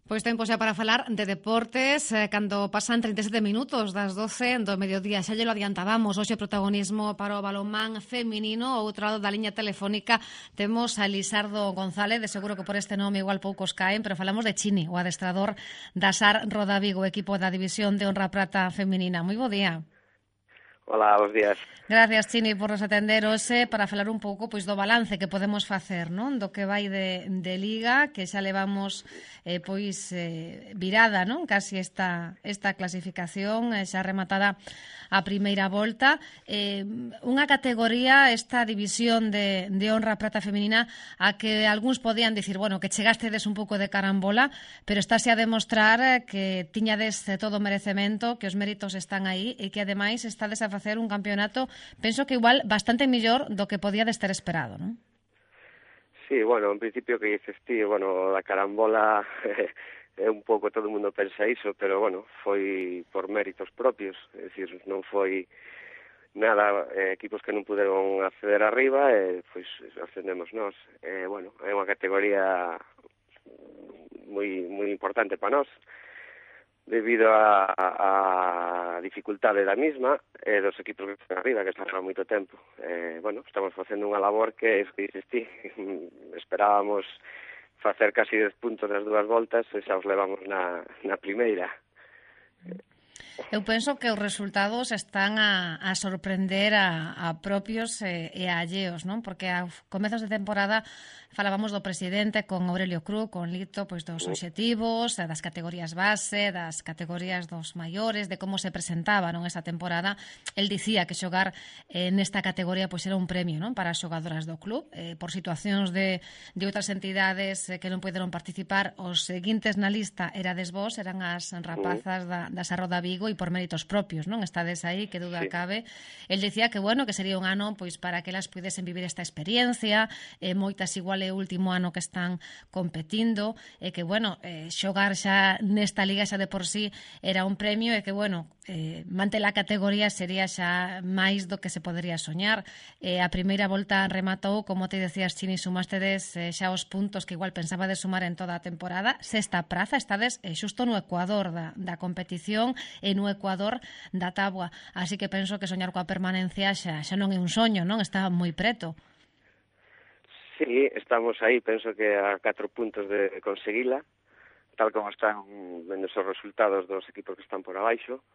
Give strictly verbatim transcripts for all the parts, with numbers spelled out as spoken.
Pois tempo xa para falar de deportes, eh, cando pasan trinta e sete minutos das doce do mediodía. Xa lle lo adiantábamos, hoxe protagonismo para o balonmán feminino. Ao outro lado da liña telefónica temos a Lisardo González, de seguro que por este nome igual poucos caen, pero falamos de Chini, o adestrador da S A R Roda Vigo, equipo da División de Honra Prata feminina. Moi bo día. Hola, bons días. Gracias, Chini, por nos atender hoxe para falar un pouco pois do balance que podemos facer, non? Do que vai de, de Liga, que xa levamos eh, pois eh, virada, non? Casi esta, esta clasificación eh, xa rematada a primeira volta. Eh, unha categoría, esta división de, de honra prata feminina, a que algúns podían dicir, bueno, que chegastedes un pouco de carambola, pero estáse a demostrar que tiñades todo o merecemento, que os méritos están aí e que ademais estades a facer un campeonato, penso que igual bastante mellor do que podía de estar esperado, non? Sí, bueno, en principio que dices ti, bueno, a carambola é un pouco, todo o mundo pensa iso, pero bueno, foi por méritos propios, é dicir, non foi nada, eh, equipos que non puderon acceder arriba, e eh, pois ascendemos nós. Eh, bueno, é unha categoría moi moi importante para nós, debido a, a, a dificultade da misma e eh, dos equipos que están arriba, que están há moito tempo. Eh, bueno, estamos facendo unha labor que, é que dices ti, esperábamos facer casi dez puntos nas dúas voltas e xa os levamos na, na primeira. Eu penso que os resultados están a, a sorprender a, a propios e, e a alleos, non? Porque a comezos de temporada falábamos do presidente con Aurelio Cruz, con Lito, pois dos obxectivos, das categorías base, das categorías dos maiores, de como se presentaba, non, esa temporada. El dicía que xogar eh, nesta categoría pois era un premio, non, para as xogadoras do club, eh, por situacións de, de outras entidades eh, que non poderon participar. Os seguintes na lista erades vos, eran as rapazas da, da Sarroda Vigo, e por méritos propios, non? Estades aí, que duda Sí. cabe. El dicía que, bueno, que sería un ano pois para que elas pudesen vivir esta experiencia, eh, moitas igual é o último ano que están competindo, e que, bueno, eh, xogar xa nesta liga xa de por sí era un premio, e que, bueno, eh, mante la categoría sería xa máis do que se podería soñar. Eh, a primeira volta rematou, como te decías, Chini, sumástedes eh, xa os puntos que igual pensaba de sumar en toda a temporada. Sexta praza, estades eh, xusto no ecuador da, da competición e no ecuador da táboa. Así que penso que soñar coa permanencia xa, xa non é un soño, non? Está moi preto. Sí, estamos aí, penso que a catro puntos de conseguila, tal como están vendo os resultados dos equipos que están por abaixo,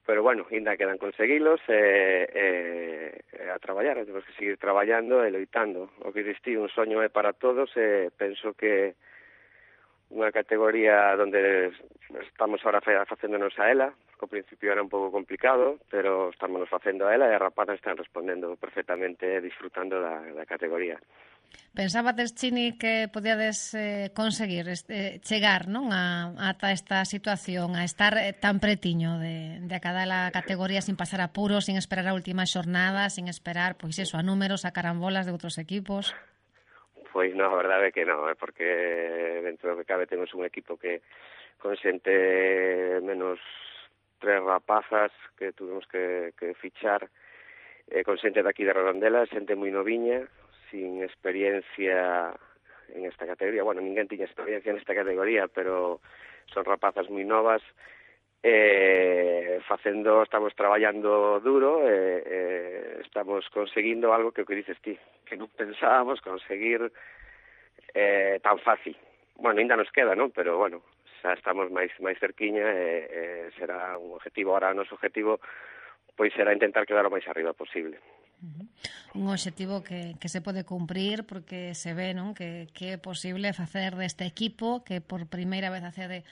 pero bueno, ainda quedan conseguilos e, e, e a traballar, temos que seguir traballando e loitando. O que distí, un soño é para todos, e penso que unha categoría onde estamos ahora facéndonos a ela, que ao principio era un pouco complicado, pero estamos facendo a ela e as rapazas están respondendo perfectamente e disfrutando da, da categoría. Pensabades, Chini, que podíades eh, conseguir este, chegar, non, a, ata esta situación, a estar eh, tan pretiño de, de a cada la categoría sin pasar apuros, sin esperar a última xornada, sin esperar, pois iso, a números, a carambolas de outros equipos? Pois non, a verdade é que non, é porque dentro do que cabe temos un equipo que consente menos tres rapazas que tuvimos que, que fichar, eh, consente daqui de Redondela, xente moi noviña, sin experiencia en esta categoría. Bueno, ninguén tiña experiencia nesta categoría, pero son rapazas moi novas, eh, facendo, estamos traballando duro, e eh, estamos conseguindo algo que o que dices ti, que non pensábamos conseguir eh, tan fácil. Bueno, ainda nos queda, non? Pero, bueno, xa estamos máis máis cerquiña, e eh, será un objetivo. Ahora, o noso objetivo pois será intentar quedar o máis arriba posible. Uh-huh. Un obxectivo que, que se pode cumprir, porque se ve, non, que, que é posible facer deste equipo que por primeira vez accede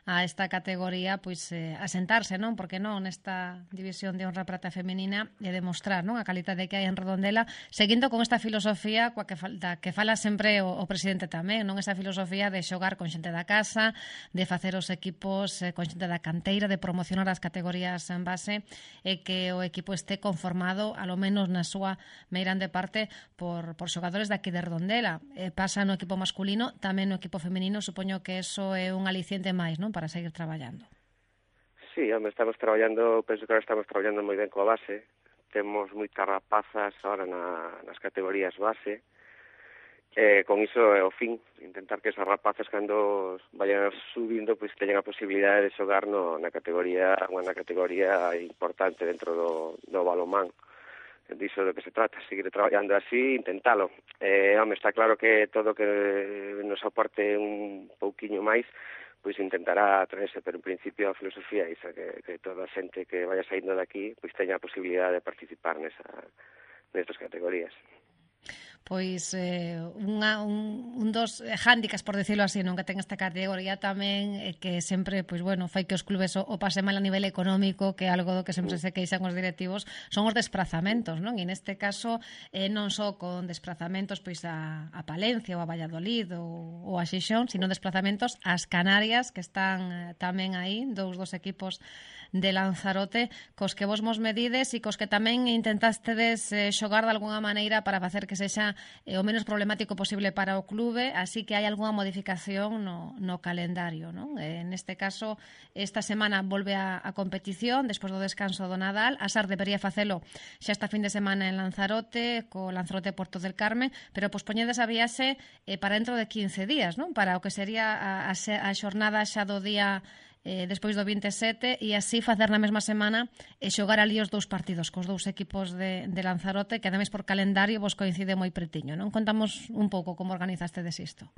a esta categoría, pois eh, asentarse, non? Porque non nesta división de honra prata feminina e demostrar, non, a calidade que hai en Redondela, seguindo con esta filosofía coa que falta, que fala sempre o, o presidente tamén, non, esa filosofía de xogar con xente da casa, de facer os equipos eh, con xente da canteira, de promocionar as categorías en base, e que o equipo este conformado, alo menos na súa meirande parte, por, por xogadores daqui de Redondela. Eh, pasa no equipo masculino, tamén no equipo feminino, supoño que eso é un aliciente máis, non, para seguir traballando. Sí, home, estamos traballando, penso que ahora estamos traballando moi ben coa base. Temos moitas rapazas ahora na, nas categorías base, eh, con iso é o fin, intentar que esas rapazas cando vayan subindo pois teñan a posibilidade de xogar no, na categoría unha categoría importante dentro do, do balonmán. Diso do que se trata, seguir traballando así, intentalo. Eh, home, está claro que todo que nos aporte un pouquiño máis, pois intentará traerse, pero en principio a filosofía é esa, que, que toda a xente que vaya saindo de aquí pois teña a posibilidade de participar nesa, nestas categorías. Pois eh, unha, un, un dos hándicaps, por decirlo así, non que ten esta categoría tamén é que sempre, pois bueno, fai que os clubes o, o pase mal a nivel económico, que é algo do que sempre se queixan os directivos, son os desplazamentos, non? E neste caso eh, non só con desplazamentos pois a, a Palencia ou a Valladolid ou, ou a Xixón, sino desplazamentos ás Canarias, que están eh, tamén aí, dous dos equipos de Lanzarote, cos que vos mos medides e cos que tamén intentastedes eh, xogar de alguna maneira para facer que sexa eh, o menos problemático posible para o clube, así que hai algunha modificación no, no calendario, non? Eh, neste caso, esta semana volve a, a competición despois do descanso do Nadal. A SAR debería facelo xa esta fin de semana en Lanzarote, co Lanzarote Porto del Carmen, pero pospoñedes a viaxe eh, para dentro de quince días, non? Para o que sería a, a, a xornada xa do día eh, despois do vinte e sete, e así facer na mesma semana e xogar ali os dous partidos cos dous equipos de, de Lanzarote, que ademais por calendario vos coincide moi pretiño, non? Contamos un pouco como organizastedes isto.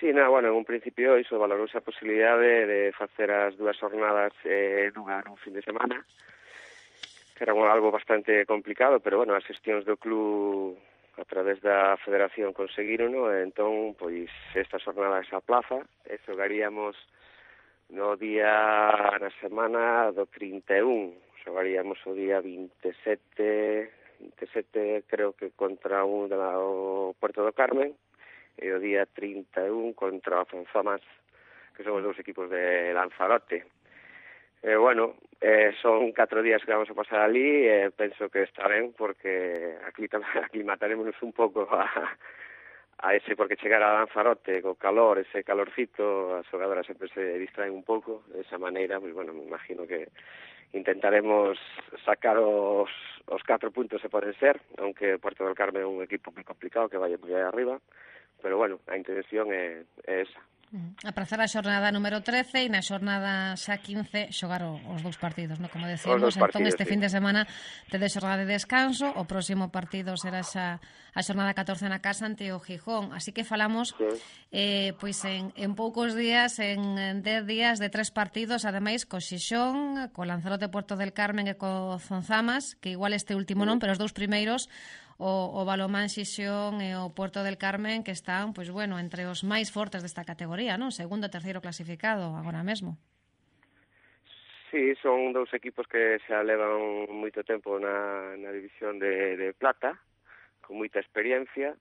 Sí, na, bueno, en un principio iso valorouse a posibilidade de facer as dúas jornadas eh, nunha, nun fin de semana, que era algo bastante complicado, pero bueno, as xestións do club a través da federación conseguiron, e entón, pois, esta jornada se aplaza, e xogaríamos no día, na semana do trinta e un, xogaríamos o día vinte e sete, vinte e sete creo que contra un do Puerto do Carmen, e o día trinta e un contra o Fonzamas, que son os dous equipos de Lanzarote. E, bueno, eh, son catro días que vamos a pasar ali, e penso que está ben, porque aclimatarémonos un pouco a... a ese, porque chegar a Lanzarote co calor, ese calorcito, as xogadoras sempre se distraen un pouco, de esa maneira, pues, bueno, me imagino que intentaremos sacar os, os catro puntos se poden ser, aunque Puerto del Carmen é un equipo moi complicado que vai moi arriba, pero bueno, a intención é, é esa. Aprazar a xornada número trece e na xornada xa quince xogar os dous partidos, non? Como decíamos, entón este sí. Fin de semana tedes xornada de descanso, o próximo partido será xa a xornada catorce na casa ante o Gijón, así que falamos sí. eh, pois en, en poucos días, en dez días de tres partidos, ademais co Xixón, co Lanzarote Puerto del Carmen e co Fonzamas, que igual este último non, pero os dous primeiros o, o Balomán Xixón e o Puerto del Carmen, que están, pois bueno, entre os máis fortes desta categoría, non? Segundo e terceiro clasificado agora mesmo. Sí, son dous equipos que xa levan moito tempo na, na división de, de plata, con moita experiencia,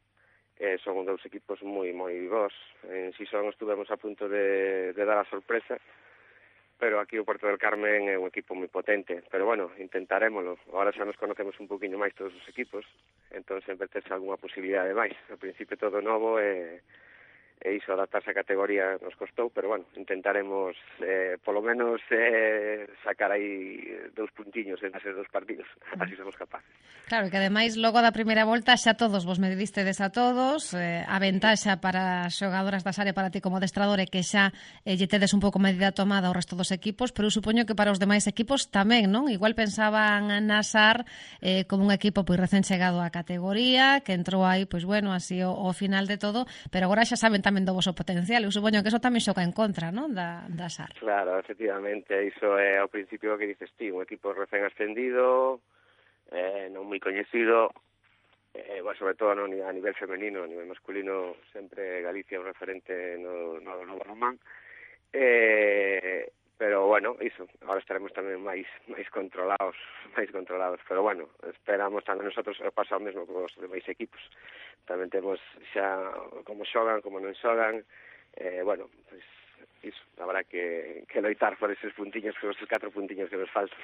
e son dous equipos moi moi bons. En Xixón estuvemos a punto de, de dar a sorpresa, pero aquí o Puerto del Carmen é un equipo moi potente, pero bueno, intentarémolo. Agora xa nos conocemos un poquinho máis todos os equipos, entón sempre tens algunha posibilidade máis. Ao principio todo novo e, e iso, adaptarse a categoría nos costou, pero bueno, intentaremos eh, polo menos eh, sacar aí dous puntiños en esos dous partidos, así somos capaces. Claro, que ademais logo da primeira volta xa todos vos medidistedes a todos, eh, a ventaxa para as xogadoras das áreas para ti como adestrador é que xa eh, lle tedes un pouco medida tomada ao resto dos equipos, pero supoño que para os demais equipos tamén, non? Igual pensaban na SAR eh, como un equipo pois recén chegado á categoría, que entrou aí, pois bueno, así o, o final de todo, pero agora xa saben tamén do voso potencial, eu supoño que eso tamén xoca en contra, non? Da, da SAR. Claro, efectivamente, iso é ao principio que dices ti, un equipo recén ascendido, eh, non moi coñecido, eh, bueno, sobre todo no, a nivel femenino, a nivel masculino, sempre Galicia é un referente no, no, no balonmán, eh, pero bueno, iso, agora estaremos tamén máis máis controlados, máis controlados, pero bueno, esperamos tamén nosotros pasa o mesmo con os demais equipos, tamén temos xa como xogan, como non xogan, eh, bueno, pois iso, habrá que, que loitar por eses puntiños, por eses catro puntiños que nos faltan.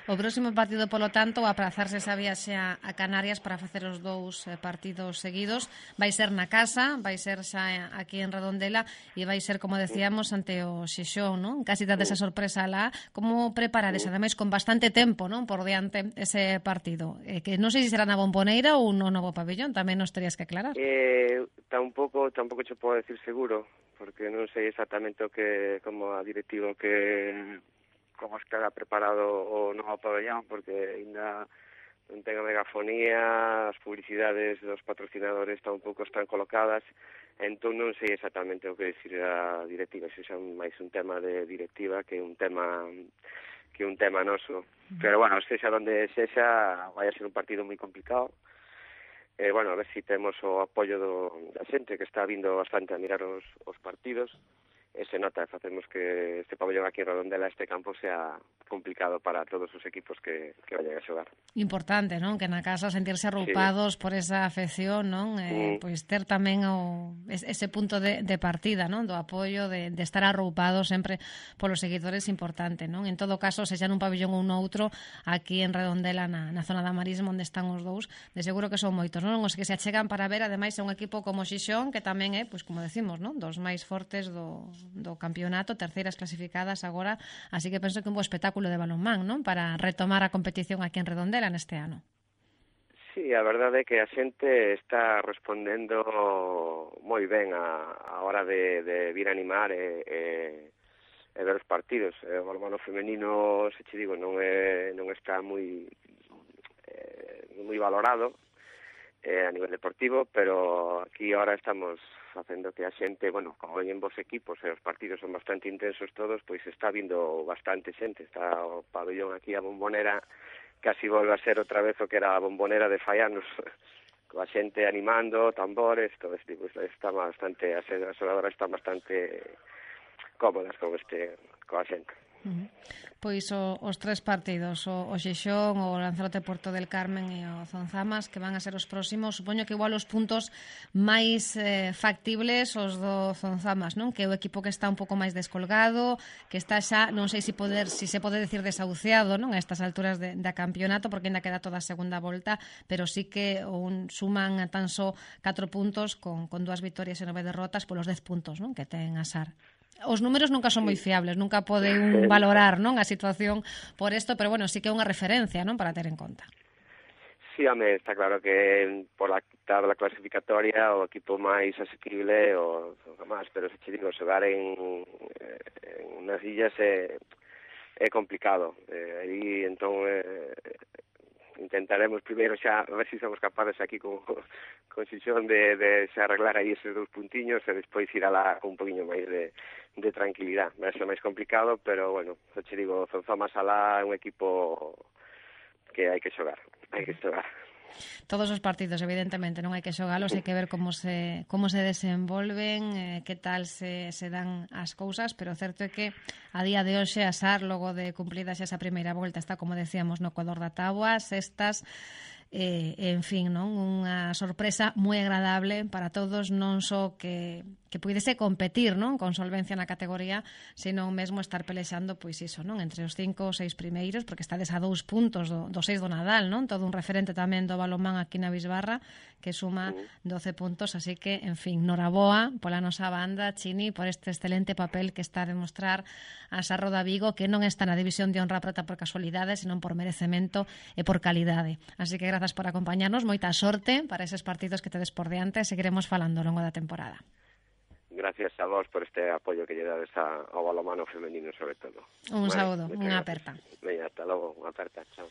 O próximo partido, polo tanto, a aprazarse esa viaxe a, a Canarias para facer os dous eh, partidos seguidos, vai ser na casa, vai ser xa aquí en Redondela e vai ser, como decíamos, ante o Xixón, non? Casi dades esa sorpresa lá. Como preparades, ademais, con bastante tempo, non, por diante ese partido? Eh, que non sei se será na Bomboneira ou no novo pabellón, tamén nos terías que aclarar. Eh, tampouco, tampouco che podo decir seguro, porque non sei exactamente o que, como a directivo que como estará preparado o novo pabellón, porque ainda non ten a megafonía, as publicidades dos patrocinadores tampouco están colocadas, entón non sei exactamente o que decir a directiva, se xa máis un tema de directiva que un tema que un tema noso. Pero, bueno, sexa onde sexa, vai a ser un partido moi complicado. Eh, bueno, a ver se si temos o apoio do, da xente que está vindo bastante a mirar os, os partidos. E se nota, facemos que este pabellón aquí en Redondela, este campo, sea complicado para todos os equipos que, que vayan a xogar. Importante, non? Que na casa sentirse arroupados sí. por esa afección, non? Eh, mm. Pois ter tamén o, ese punto de, de partida, non? Do apoio, de, de estar arroupados sempre polos seguidores, importante, non? En todo caso, se xa nun pabellón ou noutro, aquí en Redondela, na, na zona da Marisma, onde están os dous, de seguro que son moitos, non? Os que se achegan para ver, ademais, é un equipo como Xixón, que tamén é, pois como decimos, non? Dos máis fortes do do campeonato, terceiras clasificadas agora, así que penso que un bo espectáculo de balonmán, non? Para retomar a competición aquí en Redondela neste ano. Sí, a verdade é que a xente está respondendo moi ben a, a hora de, de vir a animar e, e, e ver os partidos. O balonmán femenino, se che digo, non é non está moi eh, moi valorado eh, a nivel deportivo, pero aquí ahora estamos facendo que a xente, bueno, como ven vos equipos e os partidos son bastante intensos todos, pois está vindo bastante xente. Está o pabellón aquí, a Bombonera, casi volve a ser outra vez o que era a Bombonera de fai anos, coa xente animando, tambores, todo este tipo. Está bastante, as xogadoras están bastante cómodas con este, coa xente. Uh-huh. Pois o, os tres partidos, o, o Xixón, o Lanzarote Porto del Carmen e o Zonzamas, que van a ser os próximos, supoño que igual os puntos máis eh, factibles os do Zonzamas, non? Que é o equipo que está un pouco máis descolgado, que está xa, non sei se poder, si se pode decir desahuciado, non? A estas alturas de, da campeonato, porque ainda queda toda a segunda volta, pero sí que un, suman tan só catro puntos con, con dúas vitorias e nove derrotas polos dez puntos, non? Que ten a SAR. Os números nunca son moi fiables, nunca pode un valorar, non, a situación por isto, pero bueno, sí que é unha referencia, non, para ter en conta. Sí, home, está claro que por la tabla clasificatoria o equipo máis asequible o, o máis, pero se che digo, xogar en, en unas illas é, é complicado. Eh, aí, entón, eh, intentaremos primeiro xa, a ver se si somos capaces aquí con, con Xixón de, de xa arreglar aí esos dous puntiños e despois ir alá con un poquinho máis de, de tranquilidade. Vai ser máis complicado, pero, bueno, xa che digo, Zonzamas alá é un equipo que hai que xogar, hai que xogar. Todos os partidos, evidentemente, non hai que xogalos, hai que ver como se como se desenvolven, eh, que tal se, se dan as cousas, pero o certo é que a día de hoxe a SAR, logo de cumplidas esa primeira volta, está, como decíamos, no Ecuador da táboa, sextas, eh, en fin, non? Unha sorpresa moi agradable para todos, non só que, que puidese competir, non? Con solvencia na categoría, senón mesmo estar pelexando, pois iso, non? Entre os cinco ou seis primeiros, porque estades a dous puntos do, do seis do Nadal, non? Todo un referente tamén do balonmán aquí na Bisbarra, que suma doce puntos, así que, en fin, noraboa pola nosa banda, Chini, por este excelente papel que está a demostrar a Sarro da Vigo, que non está na división de honra prata por casualidade, senón por merecemento e por calidade. Así que grazas por acompañarnos, moita sorte para eses partidos que tedes por diante, seguiremos falando ao longo da temporada. Gracias a vos por este apoio que lle dades ao balonmano femenino, sobre todo. Un vale, saúdo, unha aperta. Veña, hasta logo, unha aperta, chao.